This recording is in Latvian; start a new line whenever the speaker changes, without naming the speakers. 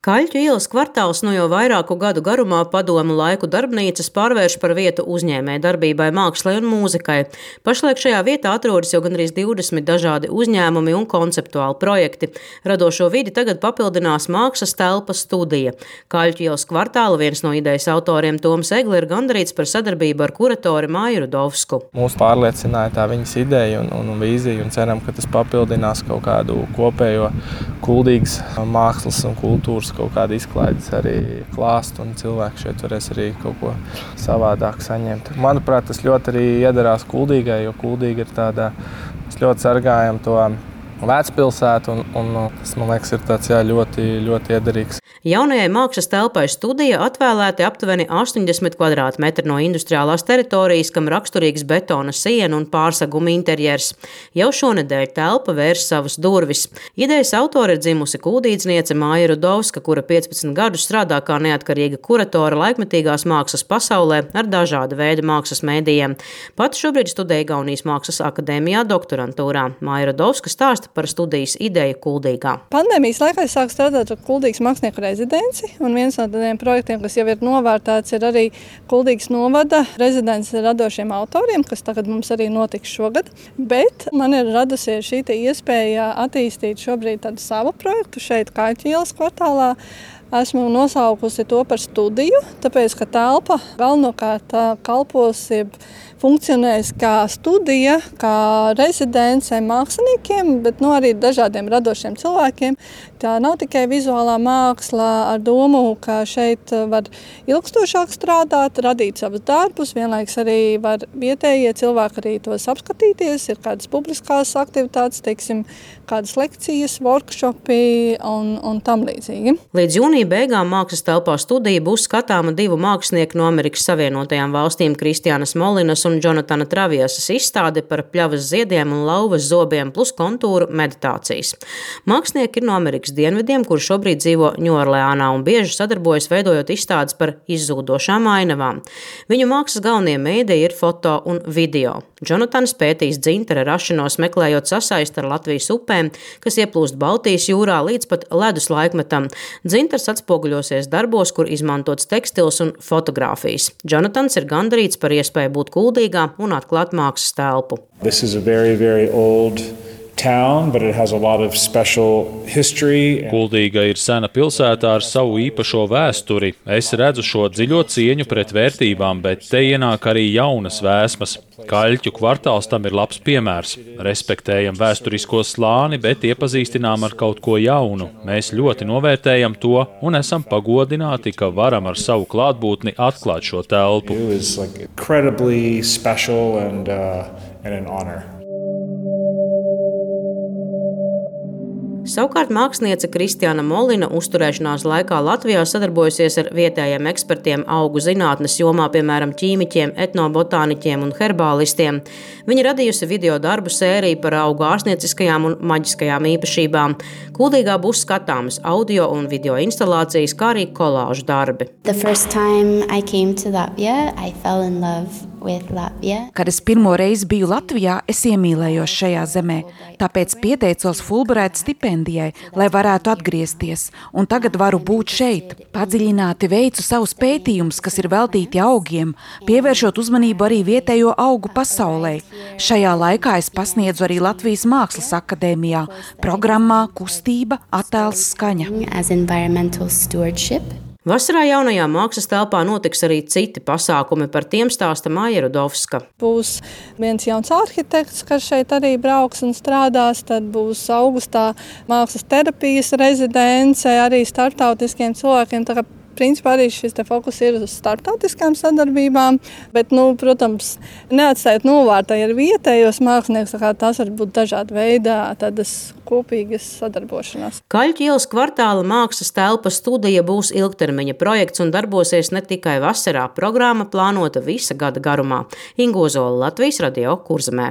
Kaļķu ielas kvartāls no jau vairāku gadu garumā padomu laiku darbnīcas pārvērš par vietu uzņēmējdarbībai, mākslai un mūzikai. Pašlaik šajā vietā atrodas jau gandrīz 20 dažādi uzņēmumi un konceptuāli projekti. Radošo vidi tagad papildinās mākslas telpas studija. Kaļķu ielas kvartāla viens no idejas autoriem Toms Egli ir gandarīts par sadarbību ar kuratori Māju Rudovsku.
Mūs pārliecināja tā viņas ideja un vīzija, un ceram, ka tas papildinās kaut kādu kopējo kuldīgas mākslas un kultūras kaut kāda izklaides arī klāstu, un cilvēki šeit varēs arī kaut ko savādāk saņemt. Manuprāt, tas ļoti arī iedarās Kuldīgai, jo Kuldīga ir tāda, mēs ļoti sargājam to vecpilsētu, un tas, man liekas, ir tāds ļoti, ļoti iederīgs.
Jaunajai mākslas telpai studija atvēlēti aptuveni 80 kvadrātmetri no industriālās teritorijas, kam raksturīgs betona siena un pārseguma interjers. Jau šonedēļ telpa vērs savas durvis. Idejas autori ir dzimusi kuldīdzniece Māja Rudovska, kura 15 gadus strādā kā neatkarīga kuratore laikmetīgās mākslas pasaulē ar dažāda veida mākslas mēdījiem. Pat šobrīd studē Igaunijas Mākslas akadēmijā doktorantūrā. Māja Rudovska stāsta par studijas ideju Kuldīgā.
Pandēmijas laikā es sāku strādāt ar Kuldīgas mākslinieku rezidenci, un viens no tādiem projektiem, kas jau ir novērtēts, ir arī Kuldīgas novada rezidents radošiem autoriem, kas tagad mums arī notiks šogad. Bet man ir radusies šī iespēja attīstīt šobrīd tādu savu projektu šeit Kaļķu ielas kvartālā. Esmu nosaukusi to par studiju, tāpēc, ka telpa galvenokārt kalpos, funkcionēs kā studija, kā rezidence māksliniekiem, bet arī dažādiem radošiem cilvēkiem. Tā nav tikai vizuālā māksla ar domu, ka šeit var ilgstošāk strādāt, radīt savus darbus, vienlaiks arī var vietējie cilvēki arī tos apskatīties, ir kādas publiskās aktivitātes, teiksim, kādas lekcijas, workshopi un tam līdzīgi.
Līdz jūnija beigām mākslas telpā studija būs skatāma divu mākslinieku no Amerikas Savienotajām valstīm Kristiānas Molinas un Jonatana Traviesas izstāde par pļavas ziediem un lauvas zobiem plus kontūru meditācijas. Mākslinieki ir no Amerikas dienvidiem, kuri šobrīd dzīvo Ņūorleānā un bieži sadarbojas veidojot izstādes par izzūdošām ainavām. Viņu mākslas galvenie mēdīji ir foto un video. Jonatans pētīs dzintara rašanos, meklējot sasaisti ar Latvijas upēm, kas ieplūst Baltijas jūrā līdz pat ledus laikmetam. Dzintars atspoguļosies darbos, kur izmantots tekstils un fotogrāfijas. Jonatans ir gandarīts par iespēju būt Kuldīgā un atklāt mākslas telpu.
This is a very, very old town, but it has a lot of special history.
Kuldīga ir sena pilsētā ar savu īpašo vēsturi. Es redzu šo dziļo cieņu pret vērtībām, bet te ienāk arī jaunas vēsmas. Kaļķu kvartāls tam ir labs piemērs. Respektējam vēsturisko slāni, bet iepazīstinām ar kaut ko jaunu. Mēs ļoti novērtējam to un esam pagodināti, ka varam ar savu klātbūtni atklāt šo telpu.
It was incredibly special and an honor.
Savukārt māksliniece Kristiāna Molina uzturēšanās laikā Latvijā sadarbojasies ar vietējiem ekspertiem augu zinātnes jomā, piemēram, ķīmiķiem, etnobotāniķiem un herbālistiem. Viņa radījusi video darbu sēriju par augu ārstnieciskajām un maģiskajām īpašībām. Kuldīgā būs skatāmas audio un video instalācijas, kā arī kolāžu darbi.
Kad es pirmo reizi biju Latvijā, es iemīlējos šajā zemē, tāpēc pieteicos Fulbright stipendijai, lai varētu atgriezties, un tagad varu būt šeit. Padziļināti veicu savus pētījumus, kas ir veltīti augiem, pievēršot uzmanību arī vietējo augu pasaulē. Šajā laikā es pasniedzu arī Latvijas Mākslas akadēmijā, programmā Kustība, attēls, skaņa.
Vasarā jaunajā mākslas telpā notiks arī citi pasākumi, par tiem stāsta Māja Rudovska.
Būs viens jauns arhitekts, kas šeit arī brauks un strādās, tad būs augustā mākslas terapijas rezidence arī starptautiskiem cilvēkiem. Tā kā principā arī šis fokus ir uz starptautiskām sadarbībām, bet, protams, neatstājot novārtā ar vietējos māksliniekus, tā kā tās var būt dažāda veidā tādas kopīgas sadarbošanās.
Kaļķu ielas kvartāla mākslas telpas studija būs ilgtermiņa projekts un darbosies ne tikai vasarā. Programma plānota visa gada garumā. Inga Ozola, Latvijas Radio, Kurzemē.